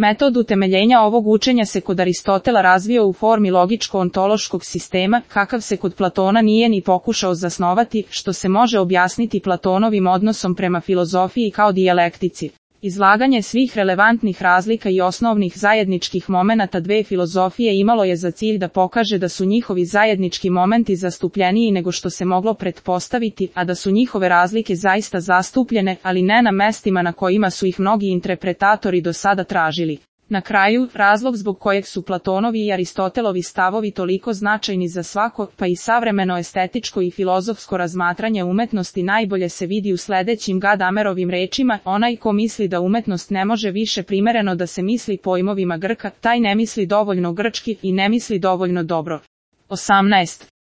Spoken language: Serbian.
Metod utemeljenja ovog učenja se kod Aristotela razvio u formi logičko-ontološkog sistema, kakav se kod Platona nije ni pokušao zasnovati, što se može objasniti Platonovim odnosom prema filozofiji kao dijalektici. Izlaganje svih relevantnih razlika i osnovnih zajedničkih momenata dve filozofije imalo je za cilj da pokaže da su njihovi zajednički momenti zastupljeniji nego što se moglo pretpostaviti, a da su njihove razlike zaista zastupljene, ali ne na mestima na kojima su ih mnogi interpretatori do sada tražili. Na kraju, razlog zbog kojeg su Platonovi i Aristotelovi stavovi toliko značajni za svako, pa i savremeno estetičko i filozofsko razmatranje umetnosti najbolje se vidi u sledećim Gadamerovim rečima: onaj ko misli da umetnost ne može više primereno da se misli pojmovima Grka, taj ne misli dovoljno grčki i ne misli dovoljno dobro. 18.